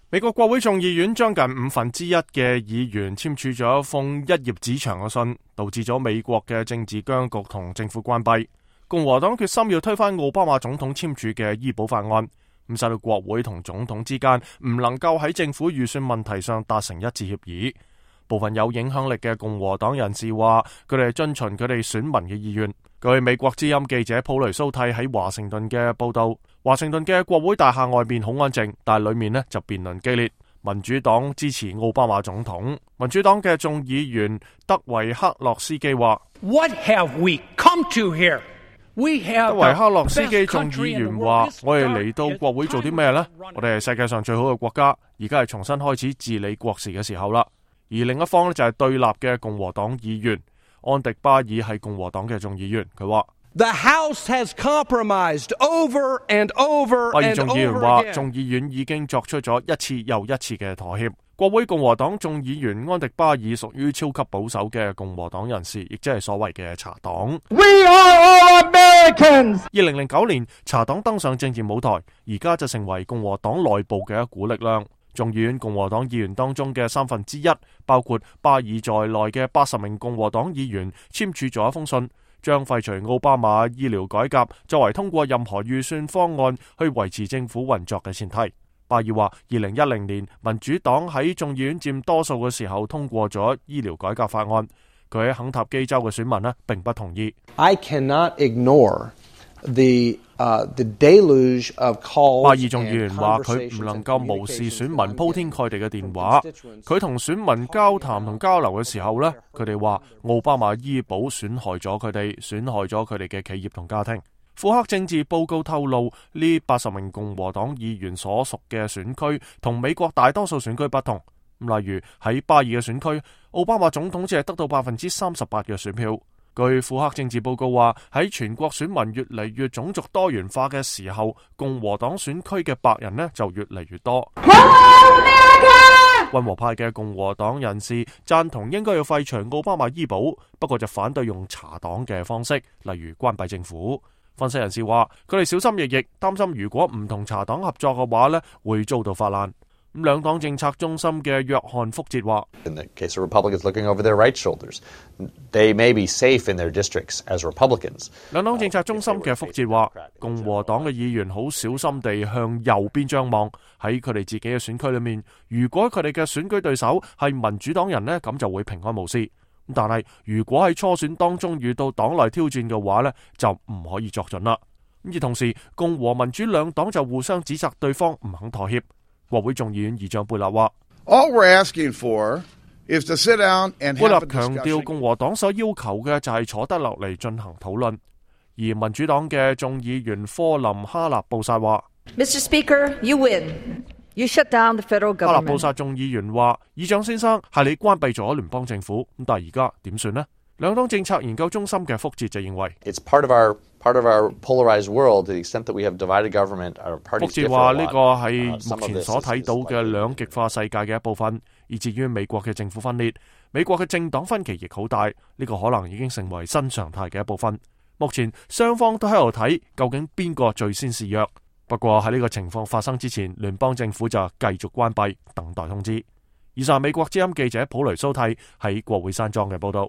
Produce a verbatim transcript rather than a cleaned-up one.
美國國會眾議院將近五分之一嘅議員簽署咗一封一頁紙長嘅信，導致咗美國嘅政治僵局同政府關閉。共和黨決心要推翻奧巴馬總統簽署嘅醫保法案，咁使到國會同總統之間唔能夠喺政府預算問題上達成一致協議。部分有影響力嘅共和黨人士話，佢哋係遵循佢哋選民嘅意願。據美國之音記者普雷蘇蒂喺華盛頓嘅報道，華盛頓嘅國會大廈外面好安靜，但係裏面呢就辯論激烈。民主黨支持奧巴馬總統，民主黨嘅眾議員德維克洛斯基話 What have we come to here? We have 德維克洛斯基眾議員話：我哋嚟到國會做啲咩呢？我哋係世界上最好嘅國家，而家係重新開始治理國事嘅時候啦。而另一方呢，就係對立嘅共和黨議員安迪巴爾係共和黨嘅眾議員，佢話 The House has compromised over and over and over again。巴爾眾議員話，眾議院已經作出咗一次又一次嘅妥協。國會共和黨眾議員安迪巴爾屬於超級保守嘅共和黨人士，亦即係所謂嘅茶黨。We are all Americans。二零零九年，茶黨登上政治舞台，而家就成為共和黨內部嘅一股力量。眾議院共和黨議員當中嘅三分之一，包括巴爾在內嘅八十名共和黨議員簽署咗一封信，將廢除奧巴馬醫療改革作為通過任何預算方案去維持政府運作嘅前提。巴爾話，二零一零年民主黨喺眾議院佔多數嘅時候通過咗醫療改革法案，佢喺肯塔基州嘅選民呢並不同意。I cannot ignore the Uh, the deluge of calls 巴爾眾議員話，佢唔能夠無視選民鋪天蓋地嘅電話。佢同選民交談同交流嘅時候呢，佢哋話奧巴馬醫保損害咗佢哋，損害咗佢哋嘅企業同家庭。庫克政治報告透露，呢八十名共和黨議員所屬嘅選區同美國大多數選區不同。例如喺巴爾嘅選區，奧巴馬總統只係得到百分之三十八嘅選票。據庫克政治報告話，喺全國選民越嚟越種族多元化嘅時候，共和黨選區嘅白人呢就越嚟越多。溫和派嘅共和黨人士贊同應該要廢除奧巴馬醫保，不過就反對用茶黨嘅方式，例如關閉政府。分析人士話，佢哋小心翼翼，擔心如果唔同茶黨合作嘅話呢，會遭到發難。咁兩黨政策中心嘅約翰福捷話 In the case of Republicans looking over their right shoulders, they may be safe in their districts as Republicans. 兩黨政策中心嘅福捷話，共和黨嘅議員好小心地向右邊張望，喺佢哋自己嘅選區裏面，如果佢哋嘅選舉對手係民主黨人呢，咁就會平安無事。但係如果喺初選當中遇到黨內挑戰嘅話呢，就唔可以作準啦。而同時，共和民主兩黨就互相指責對方唔肯妥協。國會眾議院議長貝納話，All we're asking for is to sit down and have a discussion. 貝納強調，共和黨所要求嘅就係坐得落嚟進行討論。而民主黨嘅眾議員科林哈納布薩話 Mister Speaker, you win. You shut down the federal government. 哈納布薩眾議員話，議長先生，係你關閉咗聯邦政府，咁但係而家點算呢？兩黨政策研究中心嘅福捷就認為 It's part of our part of our polarized world to the extent that we have divided government. Our parties differ a lot. 福捷話呢個係目前所睇到嘅兩極化世界嘅一部分，以至於美國嘅政府分裂，美國嘅政黨分歧亦好大，呢個可能已經成為新常態嘅一部分。目前雙方都喺度睇究竟邊個最先示弱。不過喺呢個情況發生之前，聯邦政府就繼續關閉，等待通知。以上美國之音記者普雷蘇蒂喺國會山莊嘅報道。